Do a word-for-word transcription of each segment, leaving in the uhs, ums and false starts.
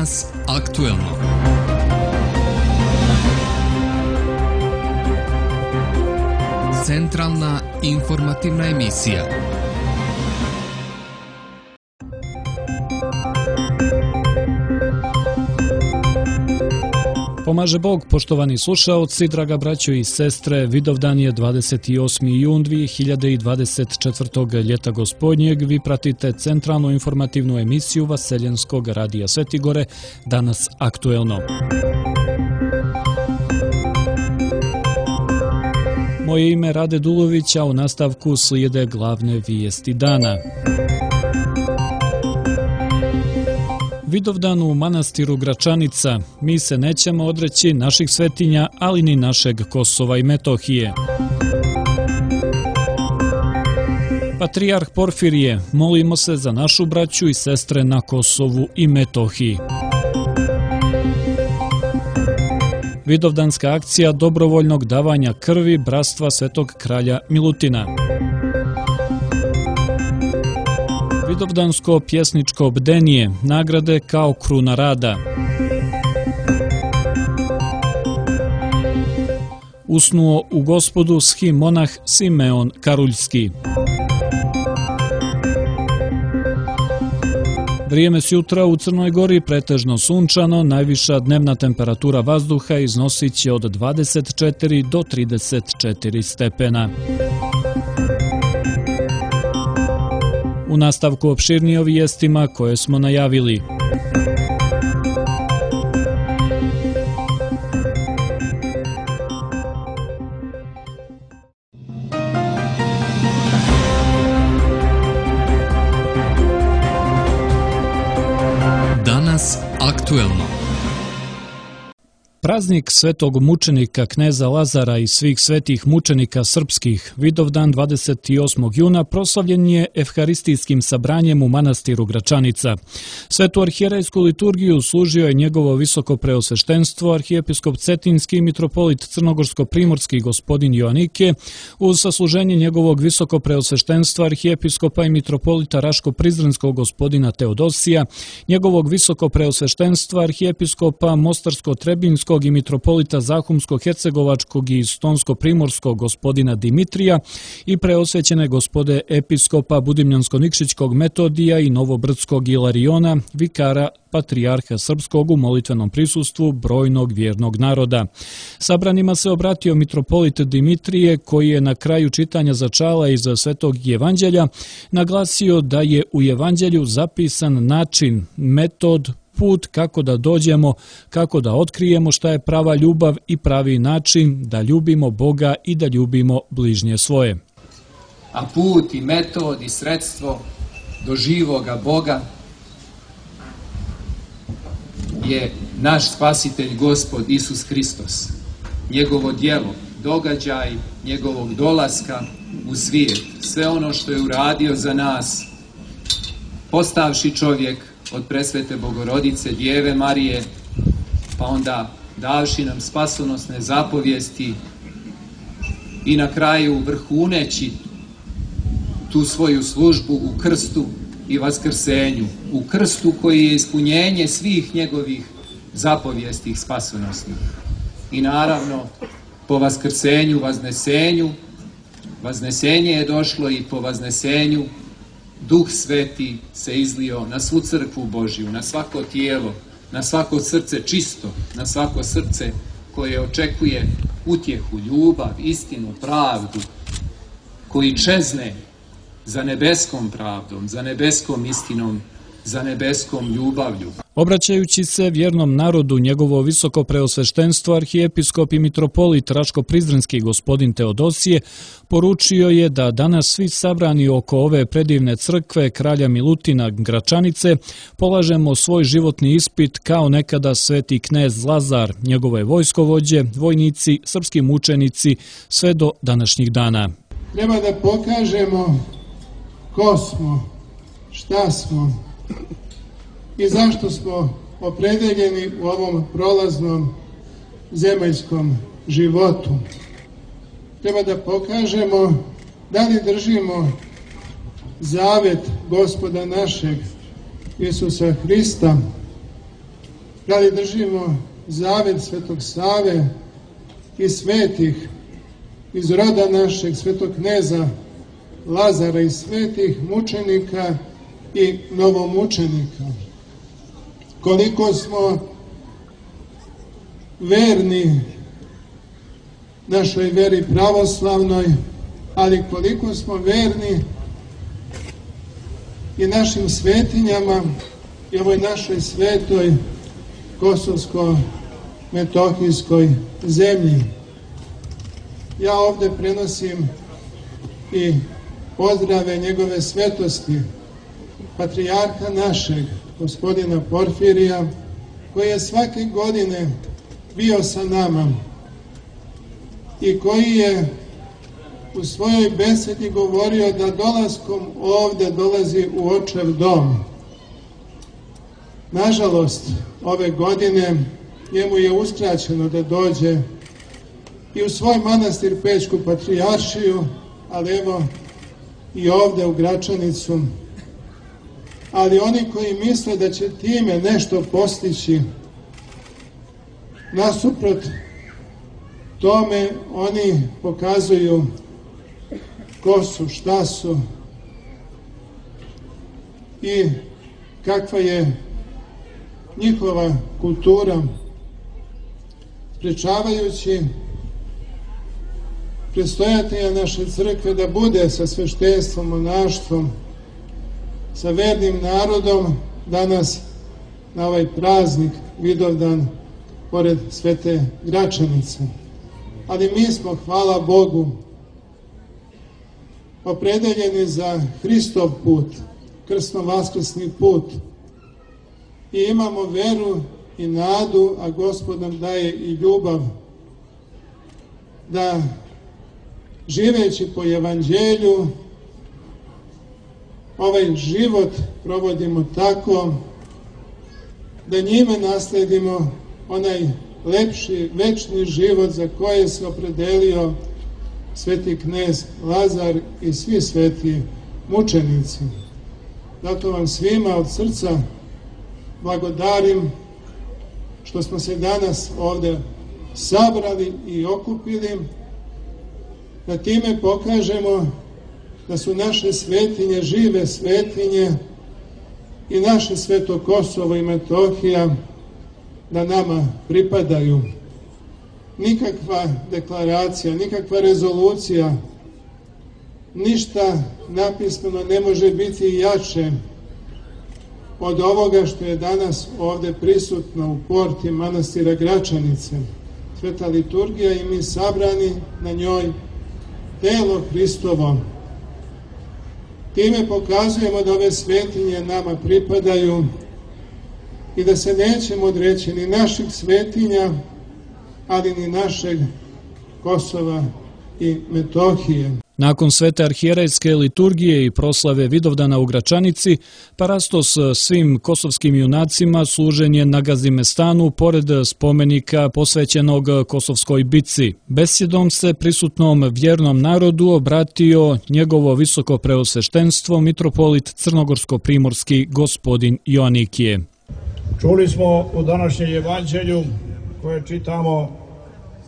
Danas aktuelno. Centralna informativna emisija. Pomaže Bog, poštovani slušaoci, draga braćo i sestre, Vidovdan je dvadeset osmi jun dvije hiljade dvadeset četvrtog. ljeta gospodnjeg. Vi pratite centralnu informativnu emisiju Vaseljenskog radija Svetigore, Danas aktuelno. Moje ime Rade Dulović, a u nastavku slijede glavne vijesti dana. Vidovdan u manastiru Gračanica. Mi se nećemo odreći naših svetinja, ali ni našeg Kosova i Metohije. Patrijarh Porfirije, molimo se za našu braću i sestre na Kosovu i Metohiji. Vidovdanska akcija dobrovoljnog davanja krvi Bratstva Svetog kralja Milutina. Vidovdansko pjesničko bdenije, nagrade kao kruna rada. Usnuo u Gospodu schimonah Simeon Karuljski. Vrijeme s jutra u Crnoj Gori pretežno sunčano, najviša dnevna temperatura vazduha iznosit će od dvadeset četiri do trideset četiri stepena. U nastavku opširnije o vijestima koje smo najavili. Danas aktuelno. Praznik svetog mučenika kneza Lazara i svih svetih mučenika srpskih, Vidovdan dvadeset osmog juna, proslavljen je evharistijskim sabranjem u manastiru Gračanica. Svetu arhijerejsku liturgiju služio je njegovo visoko preosveštenstvo, arhijepiskop Cetinski i mitropolit Crnogorsko-primorski gospodin Joanike, uz sasluženje njegovog visoko preosveštenstva, arhijepiskopa i mitropolita Raško-Prizrenskog gospodina Teodosija, njegovog visoko preosveštenstva, arhijepiskopa Mostarsko-Trebinskog i mitropolita Zahumsko-Hercegovačkog i Stonsko-Primorskog gospodina Dimitrija i preosvećene gospode episkopa Budimljansko-Nikšićkog Metodija i Novobrdskog Ilariona, vikara patrijarha srpskog u molitvenom prisustvu brojnog vjernog naroda. Sabranima se obratio mitropolit Dimitrije, koji je na kraju čitanja začala iz Svetog Evanđelja naglasio da je u Evanđelju zapisan način, metod, put kako da dođemo, kako da otkrijemo šta je prava ljubav i pravi način da ljubimo Boga i da ljubimo bližnje svoje. A put i metod i sredstvo do živoga Boga je naš spasitelj Gospod Isus Hristos. Njegovo djelo, događaj njegovog dolaska u svijet, sve ono što je uradio za nas, postavši čovjek od presvete Bogorodice, Djeve Marije, pa onda davši nam spasonosne zapovijesti i na kraju vrhuneći tu svoju službu u krstu i vaskrsenju, u krstu koji je ispunjenje svih njegovih zapovijesti spasonosnih. I naravno, po vaskrsenju, vaznesenju, vaznesenje je došlo i po vaznesenju Duh Sveti se izlio na svu crkvu Božju, na svako tijelo, na svako srce čisto, na svako srce koje očekuje utjehu, ljubav, istinu, pravdu, koji čezne za nebeskom pravdom, za nebeskom istinom, za nebeskom ljubavlju. Obraćajući se vjernom narodu, njegovo visoko preosveštenstvo, arhijepiskop i mitropolit Raško-Prizrenski gospodin Teodosije poručio je da danas svi sabrani oko ove predivne crkve kralja Milutina Gračanice polažemo svoj životni ispit kao nekada sveti knez Lazar, njegove vojskovođe, vojnici, srpski mučenici, sve do današnjih dana. Treba da pokažemo ko smo, šta smo i zašto smo opredeljeni u ovom prolaznom zemaljskom životu. Treba da pokažemo da li držimo zavet Gospoda našeg Isusa Hrista da li držimo zavet Svetog Save i svetih iz roda našeg svetog kneza Lazara i svetih mučenika i novomučenika. Koliko smo verni našoj veri pravoslavnoj, ali koliko smo verni i našim svetinjama i ovoj našoj svetoj kosovsko-metohijskoj zemlji. Ja ovde prenosim i pozdrave njegove svetosti, patrijarha našeg, gospodina Porfirija, koji je svake godine bio sa nama i koji je u svojoj besedi govorio da dolaskom ovde dolazi u očev dom. Nažalost, ove godine njemu je uskraćeno da dođe i u svoj manastir Pećku patrijaršiju, ali evo i ovde u Gračanicu. Ali oni koji misle da će time nešto postići, nasuprot tome oni pokazuju ko su, šta su i kakva je njihova kultura, sprečavajući predstojatelja naše crkve da bude sa sveštenstvom, monaštvom, sa vernim narodom danas na ovaj praznik Vidovdan pored Svete Gračanice. Ali mi smo, hvala Bogu, opredeljeni za Hristov put, krsno-vaskrsni put i imamo veru i nadu, a Gospod nam daje i ljubav da živeći po evanđelju ovaj život provodimo tako da njime nasledimo onaj lepši, večni život za koje se opredelio sveti knez Lazar i svi sveti mučenici. Zato vam svima od srca blagodarim što smo se danas ovde sabrali i okupili, da time pokažemo da su naše svetinje žive svetinje i naše sveto Kosovo i Metohija da nama pripadaju. Nikakva deklaracija, nikakva rezolucija, ništa napismeno ne može biti jače od ovoga što je danas ovde prisutno u porti manastira Gračanice. Sveta liturgija i mi sabrani na njoj, telo Hristovo. Time pokazujemo da ove svetinje nama pripadaju i da se nećemo odreći ni naših svetinja, ali ni našeg Kosova i Metohije. Nakon svete arhijerejske liturgije i proslave Vidovdana u Gračanici, parastos svim kosovskim junacima služen je na Gazimestanu pored spomenika posvećenog Kosovskoj bitci. Besjedom se prisutnom vjernom narodu obratio njegovo visoko preosveštenstvo mitropolit crnogorsko-primorski gospodin Joanikije. Čuli smo u današnjem evanđelju koje čitamo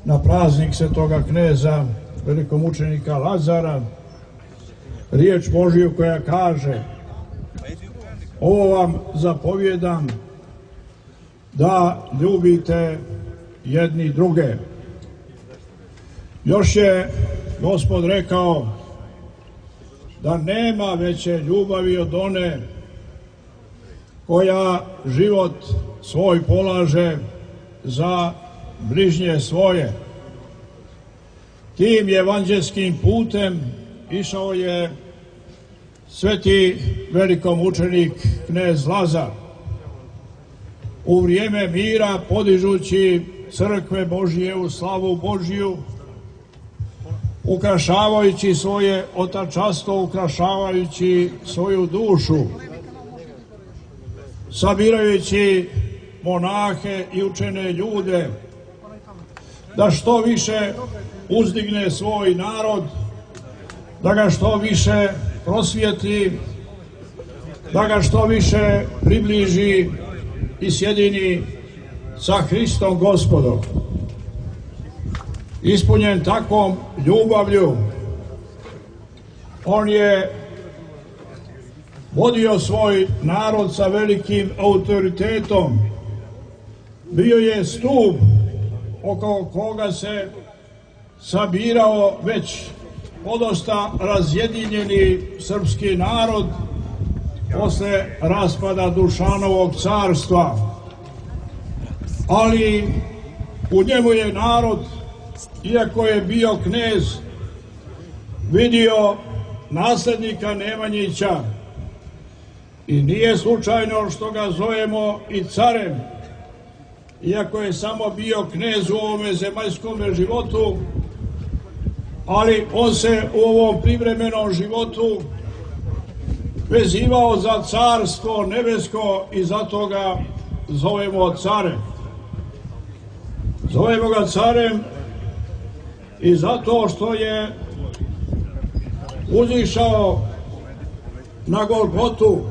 na praznik svetoga kneza velikomučenika Lazara, riječ Božiju koja kaže: ovo vam zapovjedam da ljubite jedni druge. Još je Gospod rekao da nema veće ljubavi od one koja život svoj polaže za bližnje svoje. Tim evanđelskim putem išao je sveti velikomučenik knez Lazar u vrijeme mira, podižući crkve Božije u slavu Božiju, ukrašavajući svoje otačanstvo, ukrašavajući svoju dušu, sabirajući monahe i učene ljude, da što više uzdigne svoj narod, da ga što više prosvjetli, da ga što više približi i sjedini sa Hristom Gospodom. Ispunjen takvom ljubavlju, on je vodio svoj narod sa velikim autoritetom. Bio je stup oko koga se sabirao već podosta razjedinjeni srpski narod posle raspada Dušanovog carstva. Ali u njemu je narod, iako je bio knez, vidio naslednika Nemanjića i nije slučajno što ga zovemo i carem, iako je samo bio knez u ovome zemaljskom životu, ali on se u ovom privremenom životu vezivao za carstvo nebesko i zato ga zovemo carem. Zovemo ga carem i zato što je uzišao na Golgotu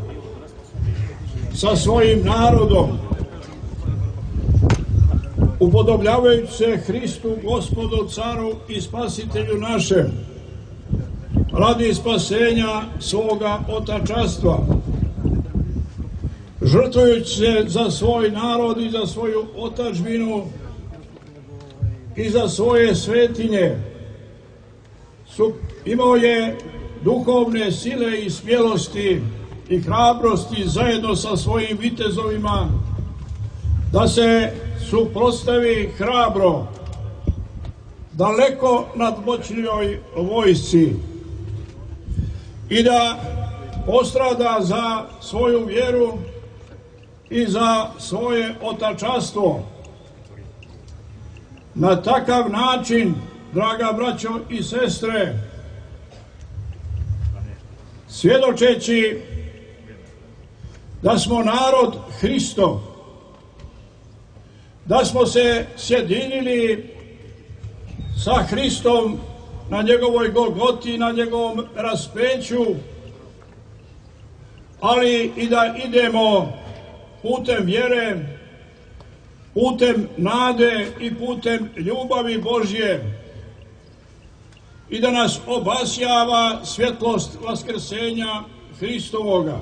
sa svojim narodom, upodobljavajući se Hristu, Gospodu, Caru i Spasitelju našem, radi spasenja svoga otačanstva, žrtvujući se za svoj narod i za svoju otadžbinu i za svoje svetinje. Imao je duhovne sile i smjelosti i hrabrosti zajedno sa svojim vitezovima da se suprotstavi hrabro daleko nadmoćnijoj vojsci i da postrada za svoju vjeru i za svoje otačanstvo. Na takav način, draga braćo i sestre, svjedočeći da smo narod Hristov, da smo se sjedinili sa Hristom na njegovoj Golgoti, na njegovom raspeću, ali i da idemo putem vjere, putem nade i putem ljubavi Božje i da nas obasjava svjetlost vaskrsenja Hristovoga.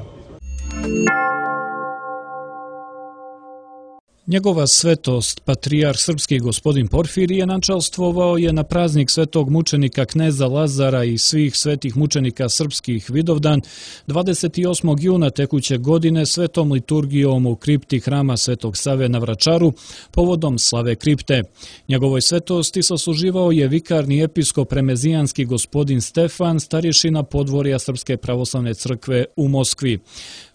Njegova svetost, patrijarh srpski gospodin Porfirije, načalstvovao je na praznik svetog mučenika kneza Lazara i svih svetih mučenika srpskih Vidovdan dvadeset osmog juna tekuće godine svetom liturgijom u kripti hrama Svetog Save na Vračaru povodom slave kripte. Njegovoj svetosti sasluživao je vikarni episkop remezijanski gospodin Stefan, starješina podvorja Srpske pravoslavne crkve u Moskvi.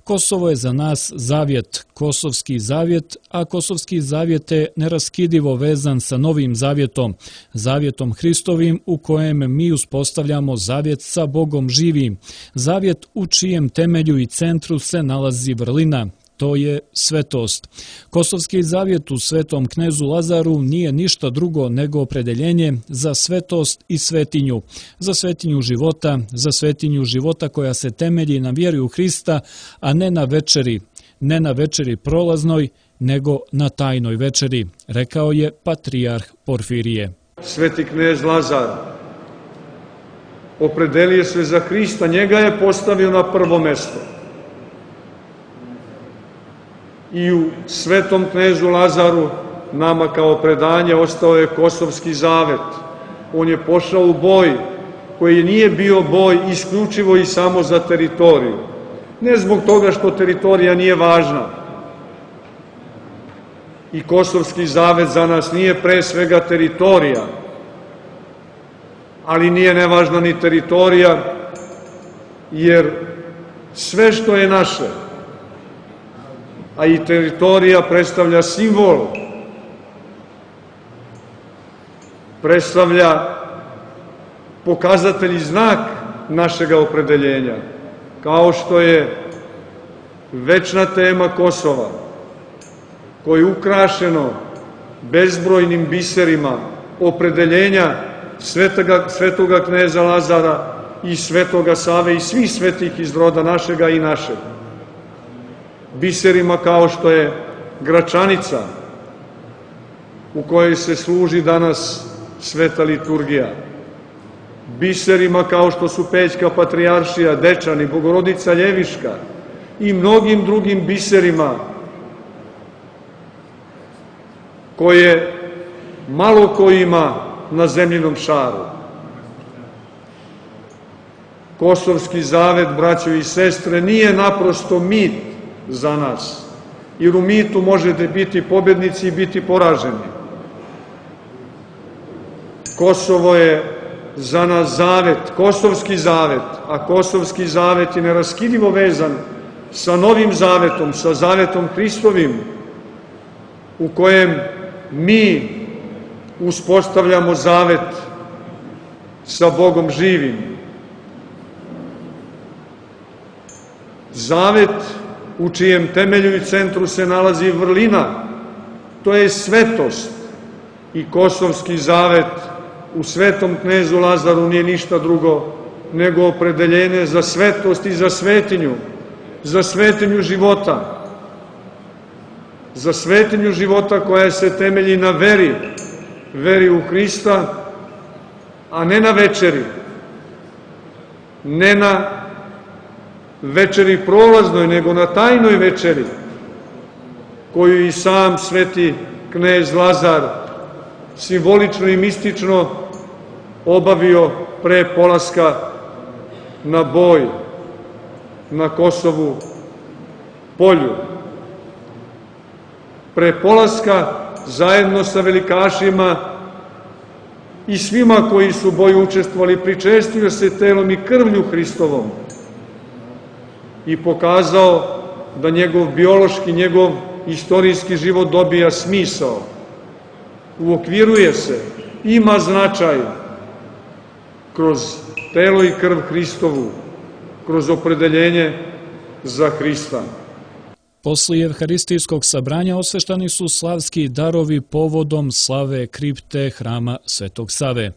Kosovo je za nas zavjet, kosovski zavjet, a kosovski zavjet je neraskidivo vezan sa novim zavjetom, zavjetom Hristovim u kojem mi uspostavljamo zavjet sa Bogom živim, zavjet u čijem temelju i centru se nalazi vrlina. To je svetost. Kosovski zavjet u svetom knezu Lazaru nije ništa drugo nego opredeljenje za svetost i svetinju, za svetinju života, za svetinju života koja se temelji na vjeri u Hrista, a ne na večeri, ne na večeri prolaznoj, nego na tajnoj večeri, rekao je patrijarh Porfirije. Sveti knez Lazar opredelio se za Hrista, njega je postavio na prvo mesto. I u svetom knezu Lazaru nama kao predanje ostao je kosovski zavet. On je pošao u boj koji nije bio boj isključivo i samo za teritoriju. Ne zbog toga što teritorija nije važna. I kosovski zavet za nas nije pre svega teritorija, ali nije nevažna ni teritorija, jer sve što je naše, a i teritorija predstavlja simbol, predstavlja pokazatelj i znak našega opredeljenja, kao što je večna tema Kosova, koje je ukrašeno bezbrojnim biserima opredeljenja svetoga, svetoga kneza Lazara i svetoga Save i svih svetih iz roda našega i našeg. Biserima kao što je Gračanica, u kojoj se služi danas sveta liturgija, biserima kao što su Pećka patrijaršija, Dečani, Bogorodica Ljeviška i mnogim drugim biserima koje malo ko ima na zemljinom šaru. Kosovski zavet, braćo i sestre, nije naprosto mit za nas, jer u mitu možete biti pobednici i biti poraženi. Kosovo je za nas zavet, kosovski zavet, a kosovski zavet je neraskidivo vezan sa novim zavetom, sa zavetom Hristovim, u kojem mi uspostavljamo zavet sa Bogom živim. Zavet u čijem temelju i centru se nalazi vrlina, to je svetost, i kosovski zavet u svetom knezu Lazaru nije ništa drugo nego opredeljenje za svetost i za svetinju, za svetinju života, za svetinju života koja se temelji na veri, veri u Hrista, a ne na večeri, ne na večeri prolaznoj, nego na tajnoj večeri, koju i sam sveti knez Lazar simbolično i mistično obavio pre polaska na boj na Kosovu polju. Pre polaska zajedno sa velikašima i svima koji su u boju učestvovali, pričestio se telom i krvlju Hristovom i pokazao da njegov biološki, njegov istorijski život dobija smisao, uokviruje se, ima značaj kroz telo i krv Hristovu, kroz opredeljenje za Hrista. Poslije evharistijskog sabranja osveštani su slavski darovi povodom slave kripte hrama Svetog Save.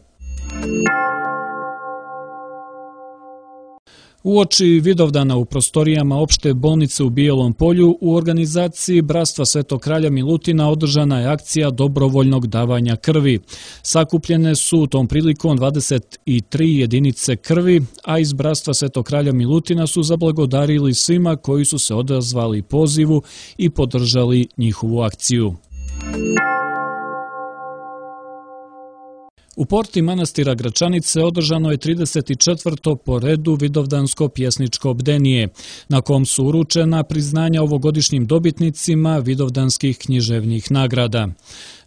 Uoči Vidovdana u prostorijama opšte bolnice u Bijelom Polju u organizaciji Bratstva Svetog kralja Milutina održana je akcija dobrovoljnog davanja krvi. Sakupljene su tom prilikom dvadeset tri jedinice krvi, a iz Bratstva Svetog kralja Milutina su zablagodarili svima koji su se odazvali pozivu i podržali njihovu akciju. U porti manastira Gračanice održano je trideset četvrto po redu Vidovdansko pjesničko bdenije, na kom su uručena priznanja ovogodišnjim dobitnicima vidovdanskih književnih nagrada.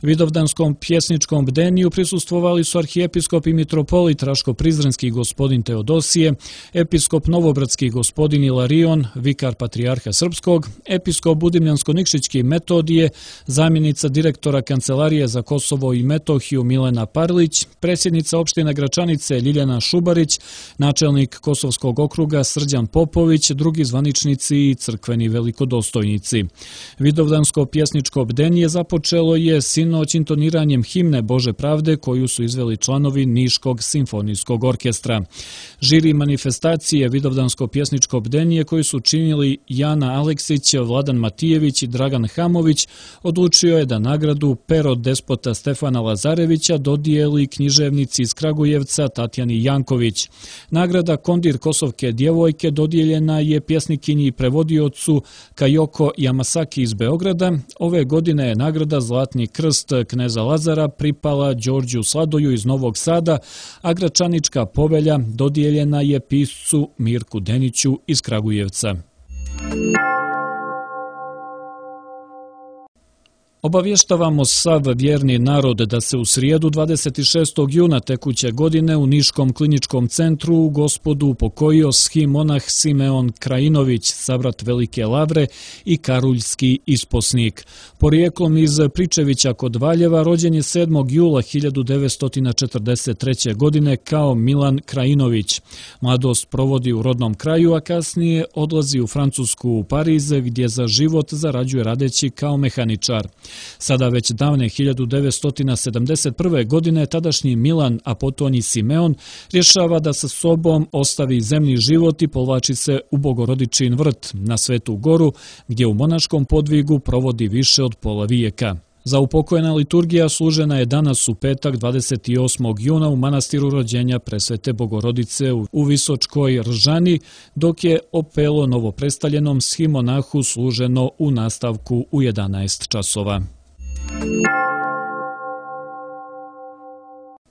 Vidovdanskom pjesničkom bdeniju prisustvovali su arhijepiskop i mitropolit Raško-Prizrenski gospodin Teodosije, episkop Novobradski gospodin Ilarion, vikar Patrijarha Srpskog, episkop Budimljansko-Nikšićki Metodije, zamjenica direktora Kancelarije za Kosovo i Metohiju Milena Parlić, predsjednica opštine Gračanice Ljiljana Šubarić, načelnik Kosovskog okruga Srđan Popović, drugi zvaničnici i crkveni velikodostojnici. Vidovdansko pjesničko bdenije započelo je sinoć intoniranjem himne Bože pravde koju su izveli članovi Niškog simfonijskog orkestra. Žiri manifestacije Vidovdansko pjesničko bdenije koji su činili Jana Aleksić, Vladan Matijević i Dragan Hamović odlučio je da nagradu Pero despota Stefana Lazarevića dodijeli književnici iz Kragujevca Tatjani Janković. Nagrada Kondir Kosovke djevojke dodijeljena je pjesnikinji i prevodiocu Kajoko Yamasaki iz Beograda. Ove godine je nagrada Zlatni krst kneza Lazara pripala Đorđu Sladoju iz Novog Sada, a Gračanička povelja dodijeljena je piscu Mirku Deniću iz Kragujevca. Obavještavamo sav vjerni narod da se u srijedu dvadeset šestog juna tekuće godine u Niškom kliničkom centru u Gospodu upokojio schimmonah Simeon Krajinović, sabrat Velike Lavre i karuljski isposnik. Porijeklom iz Pričevića kod Valjeva, rođen je sedmog jula hiljadu devetsto četrdeset treće. godine kao Milan Krajinović. Mladost provodi u rodnom kraju, a kasnije odlazi u Francusku u Pariz, gdje za život zarađuje radeći kao mehaničar. Sada već davne hiljadu devetsto sedamdeset prve. godine tadašnji Milan, a potom i Simeon, rješava da sa sobom ostavi zemlji život i povlači se u Bogorodičin vrt na Svetu Goru, gdje u monaškom podvigu provodi više od pola vijeka. Za upokojena liturgija služena je danas u petak dvadeset osmog juna u manastiru rođenja Presvete Bogorodice u Visočkoj Ržani, dok je opelo novoprestaljenom schimonahu služeno u nastavku u jedanaest časova.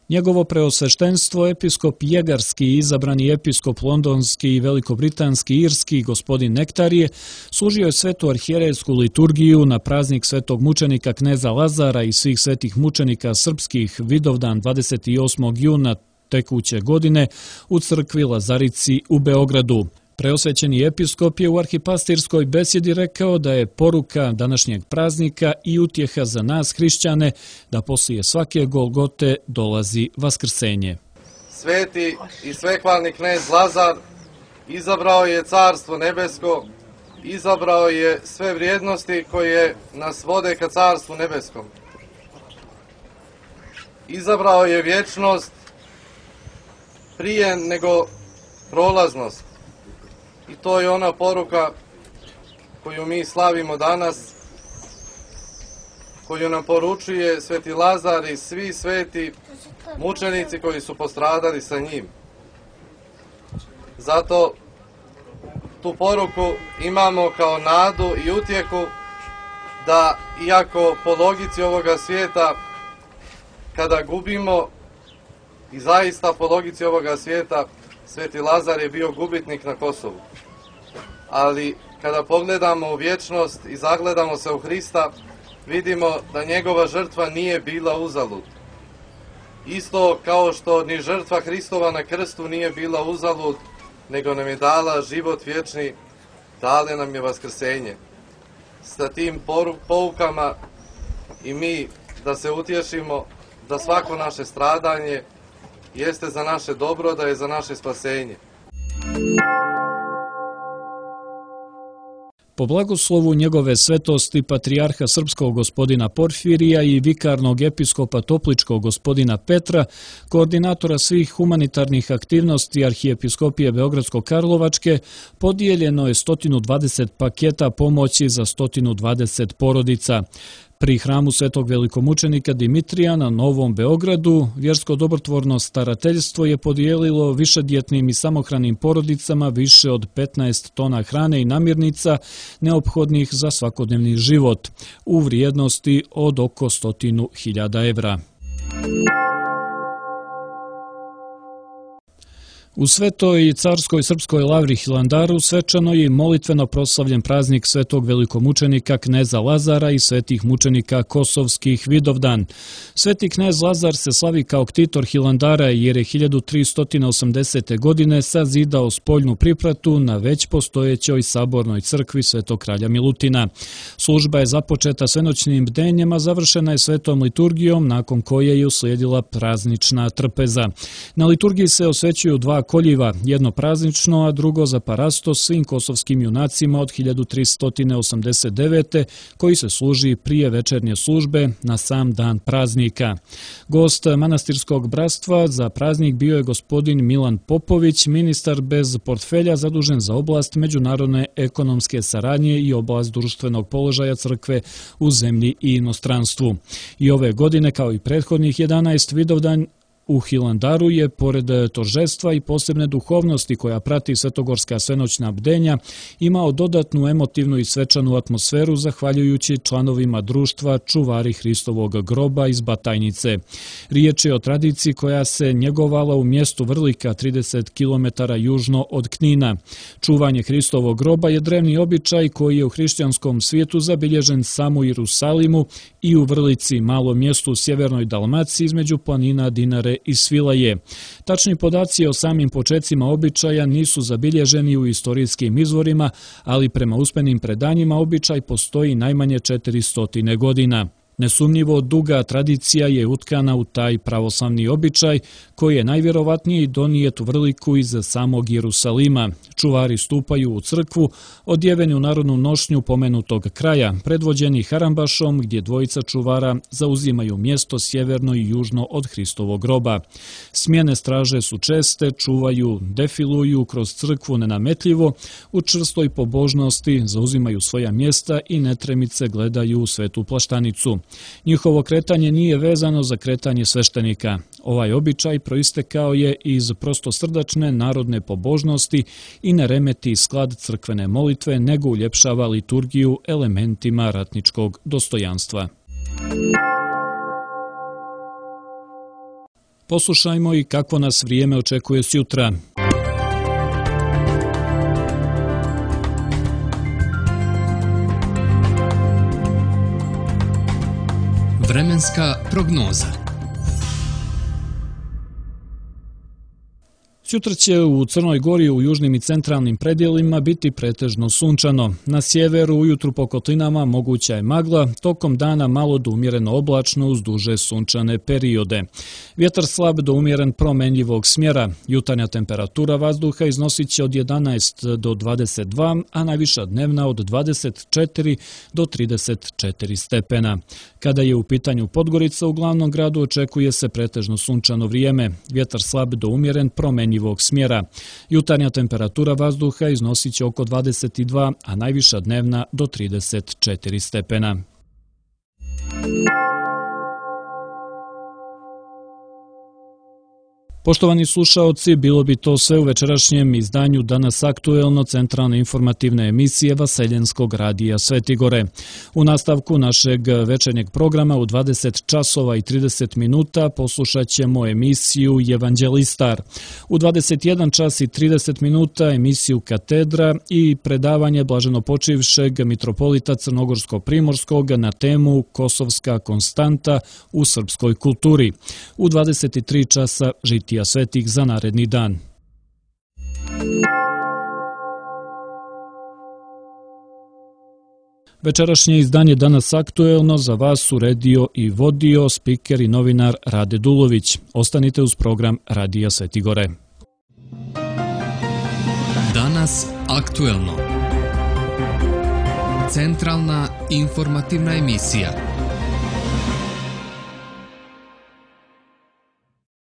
Njegovo preosveštenstvo, episkop Jegarski, izabrani episkop londonski i velikobritanski irski gospodin Nektarije, služio je svetu arhijerejsku liturgiju na praznik svetog mučenika kneza Lazara i svih svetih mučenika srpskih Vidovdan dvadeset osmog juna tekuće godine u crkvi Lazarici u Beogradu. Preosvećeni episkop je u arhipastirskoj besjedi rekao da je poruka današnjeg praznika i utjeha za nas hrišćane da poslije svake Golgote dolazi vaskrsenje. Sveti i svehvalni knez Lazar izabrao je carstvo nebesko, izabrao je sve vrijednosti koje nas vode ka carstvu nebeskom. Izabrao je vječnost prije nego prolaznost. I to je ona poruka koju mi slavimo danas, koju nam poručuje sveti Lazar i svi sveti mučenici koji su postradali sa njim. Zato tu poruku imamo kao nadu i utjehu da, iako po logici ovoga svijeta, kada gubimo, i zaista po logici ovoga svijeta, sveti Lazar je bio gubitnik na Kosovu. Ali kada pogledamo u vječnost i zagledamo se u Hrista, vidimo da njegova žrtva nije bila uzalud. Isto kao što ni žrtva Hristova na krstu nije bila uzalud, nego nam je dala život vječni, dale nam je vaskrsenje. Sa tim poukama i mi da se utješimo da svako naše stradanje jeste za naše dobro, da je za naše spasenje. Po blagoslovu njegove svetosti patrijarha srpskog gospodina Porfirija i vikarnog episkopa topličkog gospodina Petra, koordinatora svih humanitarnih aktivnosti arhijepiskopije Beogradsko-Karlovačke, podijeljeno je sto dvadeset paketa pomoći za sto dvadeset porodica. Pri hramu svetog velikomučenika Dimitrija na Novom Beogradu vjersko dobrotvorno starateljstvo je podijelilo višedjetnim i samohranim porodicama više od petnaest tona hrane i namirnica neophodnih za svakodnevni život u vrijednosti od oko stotinu hiljada evra. U Svetoj i carskoj srpskoj lavri Hilandaru svečano je molitveno proslavljen praznik svetog velikomučenika kneza Lazara i svetih mučenika kosovskih Vidovdan. Sveti knez Lazar se slavi kao ktitor Hilandara jer je hiljadu tristo osamdesete. godine sazidao spoljnu pripratu na već postojećoj sabornoj crkvi Svetog kralja Milutina. Služba je započeta svenoćnim bdenjem, a završena je svetom liturgijom, nakon koje je uslijedila praznična trpeza. Na liturgiji se osvećuju dva koljiva, jedno praznično, a drugo za parasto svim kosovskim junacima od hiljadu tristo osamdeset devete. koji se služi prije večernje službe na sam dan praznika. Gost manastirskog bratstva za praznik bio je gospodin Milan Popović, ministar bez portfelja zadužen za oblast međunarodne ekonomske saradnje i oblast društvenog položaja crkve u zemlji i inostranstvu. I ove godine, kao i prethodnih jedanaest Vidovdan, u Hilandaru je, pored tožestva i posebne duhovnosti koja prati svetogorska svenoćna bdenja, imao dodatnu emotivnu i svečanu atmosferu zahvaljujući članovima društva Čuvari Hristovog groba iz Batajnice. Riječ je o tradiciji koja se njegovala u mjestu Vrlika, trideset kilometara južno od Knina. Čuvanje Hristovog groba je drevni običaj koji je u hrišćanskom svijetu zabilježen samo u Jerusalimu i u Vrlici, malom mjestu u sjevernoj Dalmaciji između planina Dinare i Svilaje. Tačni podaci o samim počecima običaja nisu zabilježeni u istorijskim izvorima, ali prema usmenim predanjima običaj postoji najmanje četiristo godina. Nesumnjivo duga tradicija je utkana u taj pravoslavni običaj koji je najvjerovatnije donijet u Vrliku iz samog Jerusalima. Čuvari stupaju u crkvu, odjeveni u narodnu nošnju pomenutog kraja, predvođeni harambašom gdje dvojica čuvara zauzimaju mjesto sjeverno i južno od Hristovog groba. Smjene straže su česte, čuvaju, defiluju kroz crkvu nenametljivo, u čvrstoj pobožnosti zauzimaju svoja mjesta i netremice gledaju u svetu plaštanicu. Njihovo kretanje nije vezano za kretanje sveštenika. Ovaj običaj proistekao je iz prostosrdačne narodne pobožnosti i ne remeti sklad crkvene molitve, nego uljepšava liturgiju elementima ratničkog dostojanstva. Poslušajmo i kako nas vrijeme očekuje sjutra. Vremenska prognoza. Sutra će u Crnoj Gori u južnim i centralnim predjelima biti pretežno sunčano. Na sjeveru ujutru po kotlinama moguća je magla, tokom dana malo do umjereno oblačno uz duže sunčane periode. Vjetar slab do umjeren promenljivog smjera. Jutarnja temperatura vazduha iznosit će od jedanaest do dvadeset dva, a najviša dnevna od dvadeset četiri do trideset četiri stepena. Kada je u pitanju Podgorica, u glavnom gradu očekuje se pretežno sunčano vrijeme. Vjetar slab do umjeren promenljivog smjera. Jutarnja temperatura vazduha iznosit će oko dvadeset dva, a najviša dnevna do trideset četiri stepena. Poštovani slušaoci, bilo bi to sve u večerašnjem izdanju Danas aktuelno centralne informativne emisije Vaseljenskog radija Svetigore. U nastavku našeg večernjeg programa u dvadeset časova i trideset minuta poslušat ćemo emisiju Evanđelistar. U dvadeset jedan čas i trideset minuta emisiju Katedra i predavanje blaženopočivšeg mitropolita Crnogorsko-Primorskog na temu Kosovska konstanta u srpskoj kulturi. U dvadeset tri časa žitija svetih za naredni dan. Večerašnje izdanje Danas aktuelno za vas uredio i vodio spiker i novinar Rade Dulović. Ostanite uz program Radija Svetigore. Danas aktuelno. Centralna informativna emisija.